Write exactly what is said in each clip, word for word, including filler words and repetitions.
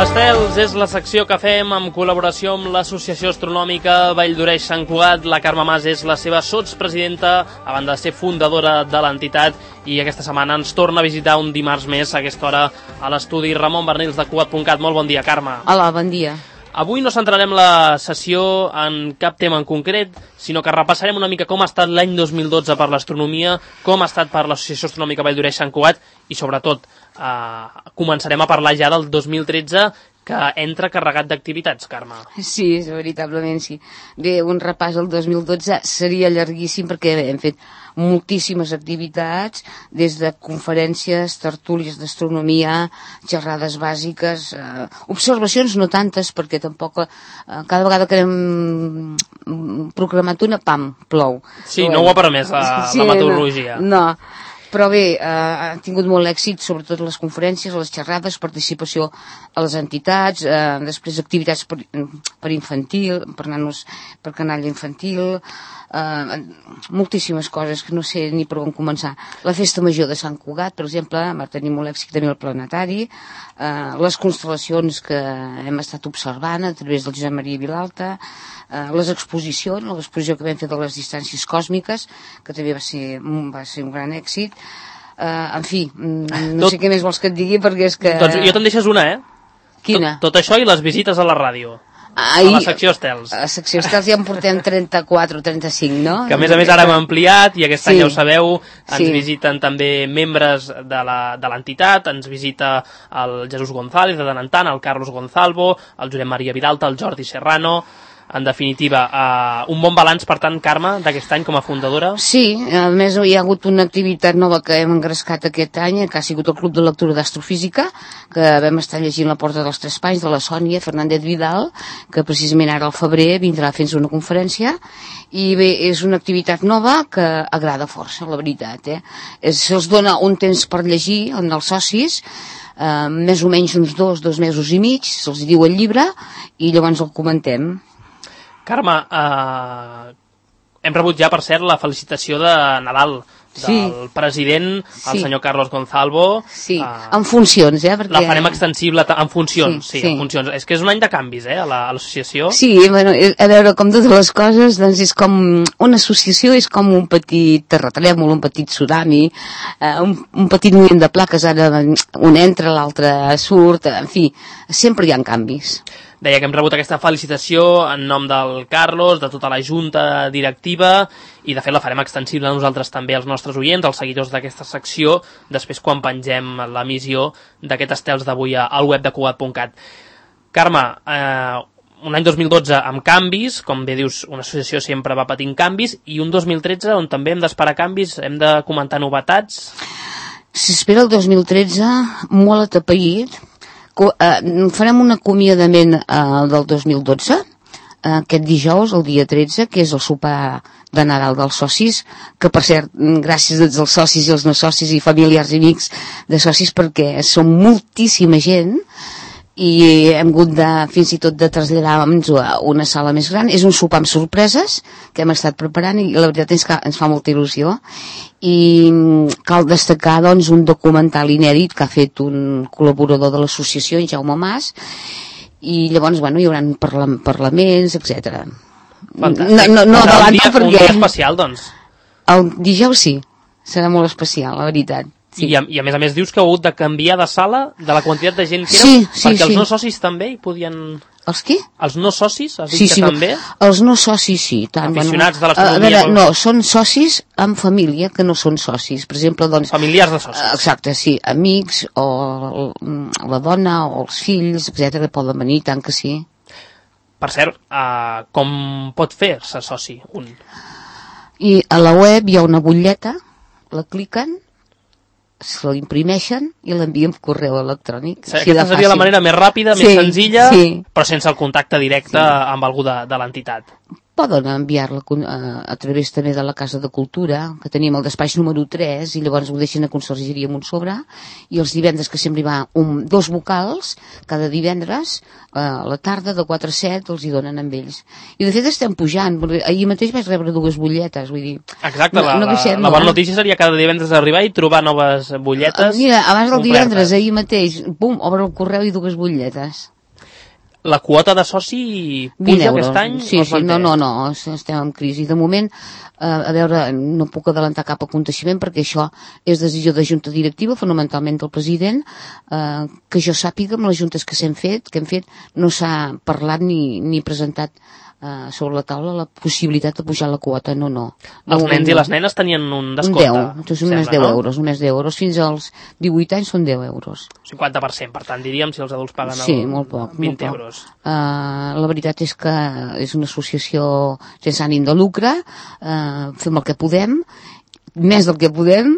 Estels és la secció que fem en col·laboració amb l'Associació Astronòmica Vall d'Oreix Sant Cugat. La Carme Mas és la seva sotspresidenta, a banda de ser fundadora de l'entitat, i aquesta setmana ens torna a visitar un dimarts més a aquesta hora a l'estudi Ramon Bernils de Cugat punt cat. Molt bon dia, Carme. Hola, bon dia. Avui no centrarem la sessió en cap tema en concret, sinó que repassarem una mica com ha estat l'any dos mil dotze per l'astronomia, com ha estat per l'Associació Astronòmica Vall d'Oreix Sant Cugat i, sobretot, eh, començarem a parlar ja del dos mil tretze, que entra carregat d'activitats, Carme. Sí, veritablement sí. Bé, un repàs al dos mil dotze seria llarguíssim perquè hem fet moltíssimes activitats, des de conferències, tertúlies d'astronomia, xerrades bàsiques, eh, observacions no tantes, perquè tampoc eh, cada vegada que hem programat una, pam, plou. Sí, no ho ha permès la, sí, la meteorologia. No, no. Però bé, eh, ha tingut molt èxit, sobretot les conferències, les xerrades, participació a les entitats, eh, després activitats per, per infantil, per nanos, per canalla infantil, eh, moltíssimes coses que no sé ni per on començar. La festa major de Sant Cugat, per exemple, va tenir molt èxit també el planetari, eh, les constel·lacions que hem estat observant a través del Josep Maria Vilalta, eh, les exposicions, l'exposició que vam fer de les distàncies còsmiques, que també va ser, va ser un gran èxit. Uh, en fi, no tot... sé què més vols que et digui, perquè és que... Doncs jo te'n deixes una, eh? Quina? Tot, tot això i les visites a la ràdio. Ai, a la secció Estels. A la secció Estels ja en portem trenta-quatre o trenta-cinc, no? Que a més a més ara hem ampliat i aquest sí. any ja ho sabeu, ens sí. visiten també membres de l'entitat, ens visita el Jesús González de tant en tant, el Carlos Gonzalvo, el Josep Maria Vilalta, el Jordi Serrano. En definitiva, uh, un bon balanç, per tant, Carme, d'aquest any com a fundadora? Sí, a més hi ha hagut una activitat nova que hem engrescat aquest any, que ha sigut el Club de Lectura d'Astrofísica, que vam estar llegint La Porta dels Tres Panys de la Sònia Fernández Vidal, que precisament ara al febrer vindrà a fer-nos una conferència, i bé, és una activitat nova que agrada força, la veritat, eh? Se'ls dona un temps per llegir en els socis, eh, més o menys uns dos, dos mesos i mig, se'ls diu el llibre, i llavors el comentem. Carme, eh, hem rebut ja, per cert, la felicitació de Nadal del sí. president, el sí. senyor Carlos Gonzalvo. Sí, uh, en funcions, eh? Perquè... La farem extensible en funcions, sí, sí, sí, en funcions. És que és un any de canvis, eh, a l'associació. Sí, bueno, a veure, com totes les coses, doncs és com... Una associació és com un petit terratrèmol, un petit tsunami, eh, un, un petit moviment de plaques, ara un entra, l'altre surt, en fi, sempre hi ha canvis. Deia que hem rebut aquesta felicitació en nom del Carlos, de tota la junta directiva, i de fet la farem extensible a nosaltres també, als nostres oients, als seguidors d'aquesta secció, després quan pengem l'emissió d'aquest Estels d'avui al web de Cugat punt cat. Carme, eh, un any dos mil dotze amb canvis, com bé dius, una associació sempre va patint canvis, i un dos mil tretze on també hem d'esperar canvis, hem de comentar novetats. S'espera el dos mil tretze molt atapeït. Farem un acomiadament uh, del dos mil dotze, uh, aquest dijous, el dia tretze, que és el sopar de Nadal dels socis, que per cert, gràcies a tots els socis i els no socis i familiars i amics de socis, perquè som moltíssima gent i hem hagut de, fins i tot de traslladar-nos a una sala més gran. És un sopar amb sorpreses que hem estat preparant i la veritat és que ens fa molta il·lusió. I cal destacar, doncs, un documental inèdit que ha fet un col·laborador de l'associació, en Jaume Mas, i llavors, bueno, hi haurà parla parlaments, etcètera. Fantàstic. No, no, no adelanto perquè... Un dia especial, doncs. El dijous sí, serà molt especial, la veritat. Sí. I, a, I a més a més dius que heu hagut de canviar de sala de la quantitat de gent que éreu, sí, sí, perquè els sí. no socis també hi podien... Els qui? Els no socis, has dit sí, que sí, també? Els no socis sí. Tant, aficionats bueno, de l'astronomia. A veure, no, són socis amb família que no són socis. Per exemple, doncs... Familiars de socis. Exacte, sí. Amics, o la dona, o els fills, etcètera, poden venir, tant que sí. Per cert, uh, com pot fer-se soci un? I a la web hi ha una butlleta, la cliquen, se l'imprimeixen i l'envien per correu electrònic. Sí, aquesta seria la manera més ràpida, sí, més senzilla, sí. però sense el contacte directe sí. amb algú de, de l'entitat. Poden enviar-la a, a través també de la Casa de Cultura, que tenim el despatx número tres, i llavors ho deixen a consergeria amb un sobre, i els divendres, que sempre hi va un, dos vocals, cada divendres, a la tarda, de quatre a set, els hi donen amb ells. I de fet estem pujant, ahir mateix vaig rebre dues butlletes, vull dir... Exacte, la, no, no baixem, la, la bona notícia seria cada divendres arribar i trobar noves butlletes. Mira, abans del divendres, ahir mateix, bum, obre el correu i dues butlletes. La quota de soci puja aquest any? Sí, sí, no, no, no, estem en crisi. De moment, eh, a veure, no puc adelantar cap aconteixement perquè això és decisió de junta directiva, fonamentalment del president, eh, que jo sàpiga amb les juntes que s'hem fet, que hem fet, no s'ha parlat ni, ni presentat Uh, sobre la taula la possibilitat de pujar la quota, no, no. Els no, nens no. I les nenes tenien un descompte? Un deu, sembla, només deu no? euros, només deu euros, fins als divuit anys són deu euros. cinquanta per cent, per tant, diríem, si els adults paguen sí, el molt poc, vint molt poc. euros. Uh, la veritat és que és una associació sense ànim de lucre, uh, fem el que podem, més del que podem,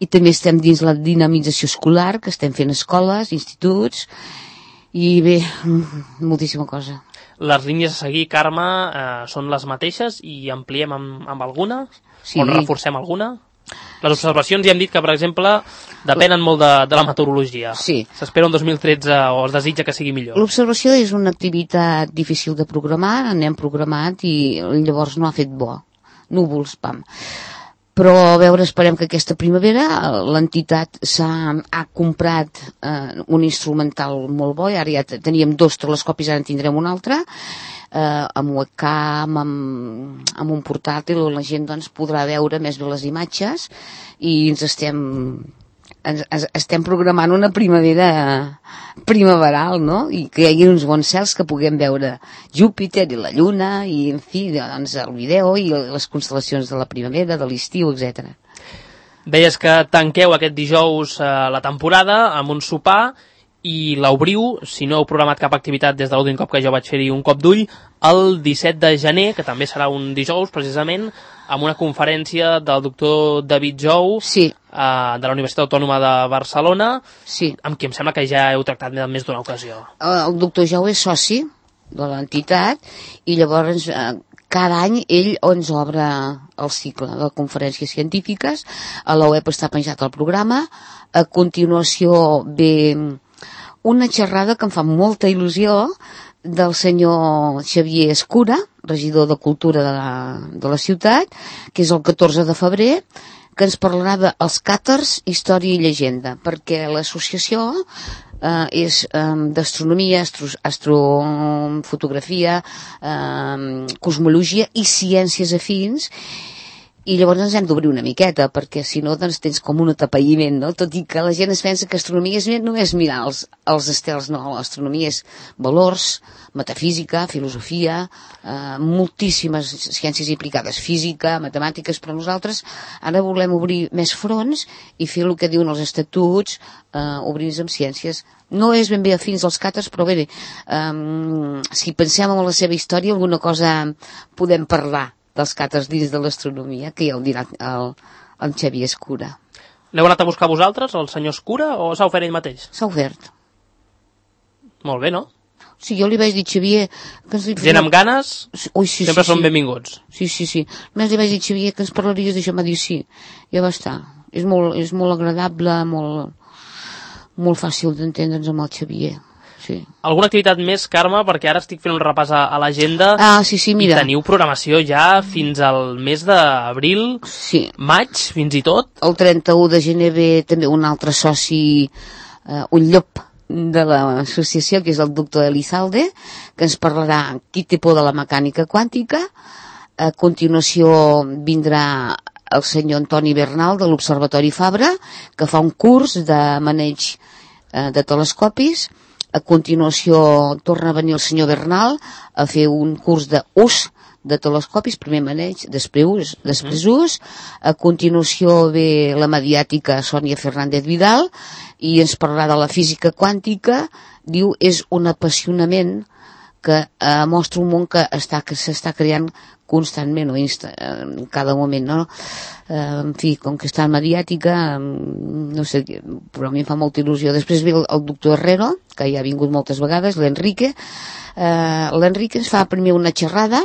i també estem dins la dinamització escolar, que estem fent escoles, instituts, i bé, moltíssima cosa. Les línies a seguir, Carme, eh, són les mateixes i ampliem amb, amb alguna? Sí. O reforcem alguna? Les observacions ja hem dit que, per exemple, depenen molt de, de la meteorologia. Sí. S'espera un dos mil tretze o es desitja que sigui millor. L'observació és una activitat difícil de programar, n'hem programat i llavors no ha fet bo. Núvols, pam. Però a veure, esperem que aquesta primavera l'entitat s'ha ha comprat eh, un instrumental molt bo, i ara ja teníem dos telescopis, ara en tindrem un altre, eh, amb webcam, amb, amb un portàtil on la gent doncs, podrà veure més bé les imatges, i ens estem, ens, estem programant una primavera primaveral, no? I que hi hagi uns bons cels que puguem veure Júpiter i la Lluna i, en fi, doncs, el vídeo i les constel·lacions de la primavera, de l'estiu, etcètera. Deies que tanqueu aquest dijous eh, la temporada amb un sopar i l'obriu, si no heu programat cap activitat des de l'últim cop que jo vaig fer-hi un cop d'ull, el disset de gener, que també serà un dijous, precisament, amb una conferència del doctor David Jou, sí. uh, de la Universitat Autònoma de Barcelona, sí. amb qui em sembla que ja heu tractat més d'una ocasió. El doctor Jou és soci de l'entitat i llavors eh, cada any ell ens obre el cicle de conferències científiques, a la web està penjat el programa, a continuació ve una xerrada que em fa molta il·lusió del senyor Xavier Escura, regidor de Cultura de la, de la ciutat, que és el catorze de febrer, que ens parlarà dels càters, història i llegenda, perquè l'associació eh, és eh, d'astronomia, astro, astrofotografia, eh, cosmologia i ciències afins, i llavors ens hem d'obrir una miqueta, perquè si no doncs tens com un atapeïment, no? Tot i que la gent es pensa que astronomia és només mirar els, els estels, no, l'astronomia és valors, metafísica, filosofia, eh, moltíssimes ciències implicades, física, matemàtiques, però nosaltres ara volem obrir més fronts i fer el que diuen els estatuts, eh, obrir-nos amb ciències. No és ben bé afins als càters, però bé, eh, si pensem en la seva història, alguna cosa podem parlar dels càters dins de l'astronomia, que ja ho dirà el, el Xavier Escura. L'heu anat a buscar vosaltres, el senyor Escura, o s'ha ofert ell mateix? S'ha ofert. Molt bé, no? Sí, jo li vaig dir, Xavier... Que ens... Gent amb ganes Ui, sí, sempre sí, són sí. benvinguts. Sí, sí, sí. Només li vaig dir, Xavier, que ens parlaries d'això, m'ha dit sí. Ja va estar. És molt, és molt agradable, molt, molt fàcil d'entendre'ns amb el Xavier. Sí. Alguna activitat més, Carme? Perquè ara estic fent un repàs a, a l'agenda. Ah, sí, sí, mira. I teniu programació ja fins al mes d'abril, sí. Maig, fins i tot. El trenta-u de gener ve també un altre soci, eh, un llop de l'associació, que és el doctor Elizalde, que ens parlarà qui té por de la mecànica quàntica. A continuació vindrà el senyor Antoni Bernal de l'Observatori Fabra, que fa un curs de maneig eh, de telescopis. A continuació torna a venir el senyor Bernal a fer un curs d'ús de telescopis, primer maneig, després ús, després ús. A continuació ve la mediàtica Sònia Fernández Vidal i ens parlarà de la física quàntica. Diu, és un apassionament que eh, mostra un món que està que s'està creant constantment o insta, en cada moment, no? Eh, en fi, com que està en mediàtica, no sé, però a mi em fa molta il·lusió. Després ve el, el doctor Herrero, que ja ha vingut moltes vegades, l'Enrique. Eh, L'Enrique ens fa primer una xerrada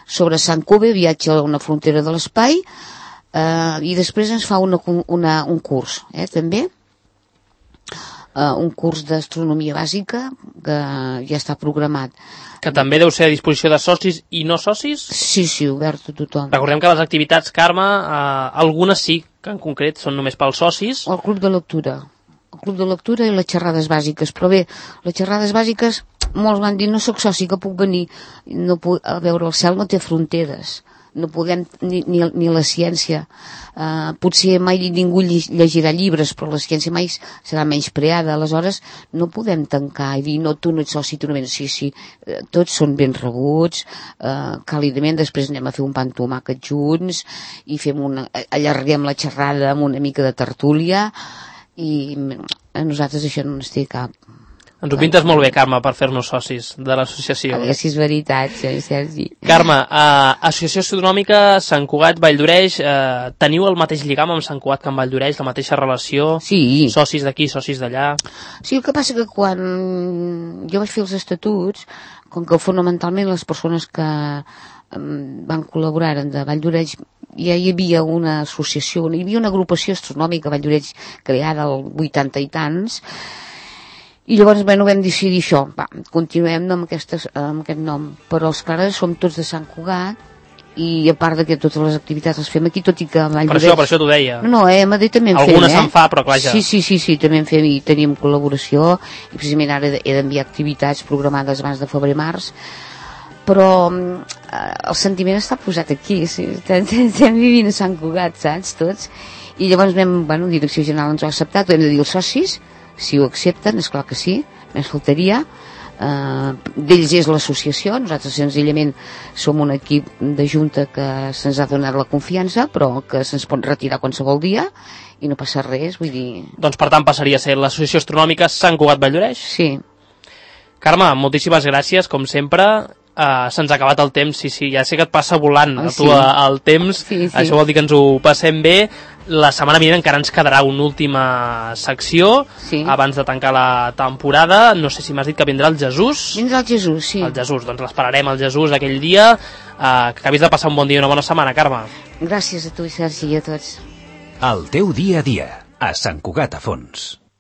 sobre Sant Cove, viatge a una frontera de l'espai, eh, i després ens fa una, una, un curs, eh, també, eh, un curs d'astronomia bàsica que ja està programat. Que també deu ser a disposició de socis i no socis? Sí, sí, obert a tothom. Recordem que les activitats, Carme, eh, algunes sí, que en concret són només pels socis. El club de lectura. El club de lectura i les xerrades bàsiques. Però bé, les xerrades bàsiques molts van dir, no sóc soci, que puc venir. No puc, a veure, el cel no té fronteres. No podem, ni, ni, ni la ciència. Uh, potser mai ningú llegirà llibres, però la ciència mai serà menyspreada. Aleshores, no podem tancar i dir, no, tu no ets soci, tu no vens. Sí, sí, uh, tots són ben rebuts, uh, càlidament. Després anem a fer un pa amb tomàquet junts i fem una, allarguem la xerrada amb una mica de tertúlia i a nosaltres això no ens té cap. Ens ho pintes molt bé, Carme, per fer-nos socis de l'associació. A veure si és veritat, Sergi. Carme, eh, Associació Astronòmica Sant Cugat Valldoreix, eh, teniu el mateix lligam amb Sant Cugat que amb Valldoreix, la mateixa relació? Sí. Socis d'aquí, socis d'allà? Sí, el que passa que quan jo vaig fer els estatuts, com que fonamentalment les persones que van col·laborar de Valldoreix, ja hi havia una associació, hi havia una agrupació astronòmica a Valldoreix creada al vuitanta i tants, i llavors bueno, vam decidir això, va, continuem amb, aquestes, amb aquest nom, però els pares som tots de Sant Cugat i a part de que totes les activitats les fem aquí, tot i que a Valldoreix... Per això, per això t'ho deia. No, no, eh, a Madrid també en fem, eh? Alguna se'n fa, però clar ja... Sí, sí, sí, sí, també en fem i tenim col·laboració i precisament ara he d'enviar activitats programades abans de febrer-març, però eh, el sentiment està posat aquí, sí, estem vivint a Sant Cugat, saps, tots, i llavors vam, bueno, Direcció General ens ho ha acceptat, ho hem de dir als socis, si ho accepten, és clar que sí, més faltaria, uh, d'ells és l'associació, nosaltres senzillament som un equip de junta que se'ns ha donat la confiança, però que se'ns pot retirar qualsevol dia i no passa res, vull dir... Doncs per tant passaria a ser l'Associació Astronòmica Sant Cugat Valldoreix? Sí. Carme, moltíssimes gràcies, com sempre. Uh, se'ns ha acabat el temps, sí, sí, ja sé que et passa volant oh, a tu sí. el temps, sí, sí. Això vol dir que ens ho passem bé. La setmana vinent encara ens quedarà una última secció sí. abans de tancar la temporada. No sé si m'has dit que vindrà el Jesús. Vindrà el Jesús, sí. El Jesús, doncs l'esperarem el Jesús aquell dia. Uh, que acabis de passar un bon dia i una bona setmana, Carme. Gràcies a tu, Sergi, i a tots. El teu dia a dia, a Sant Cugat a Fons.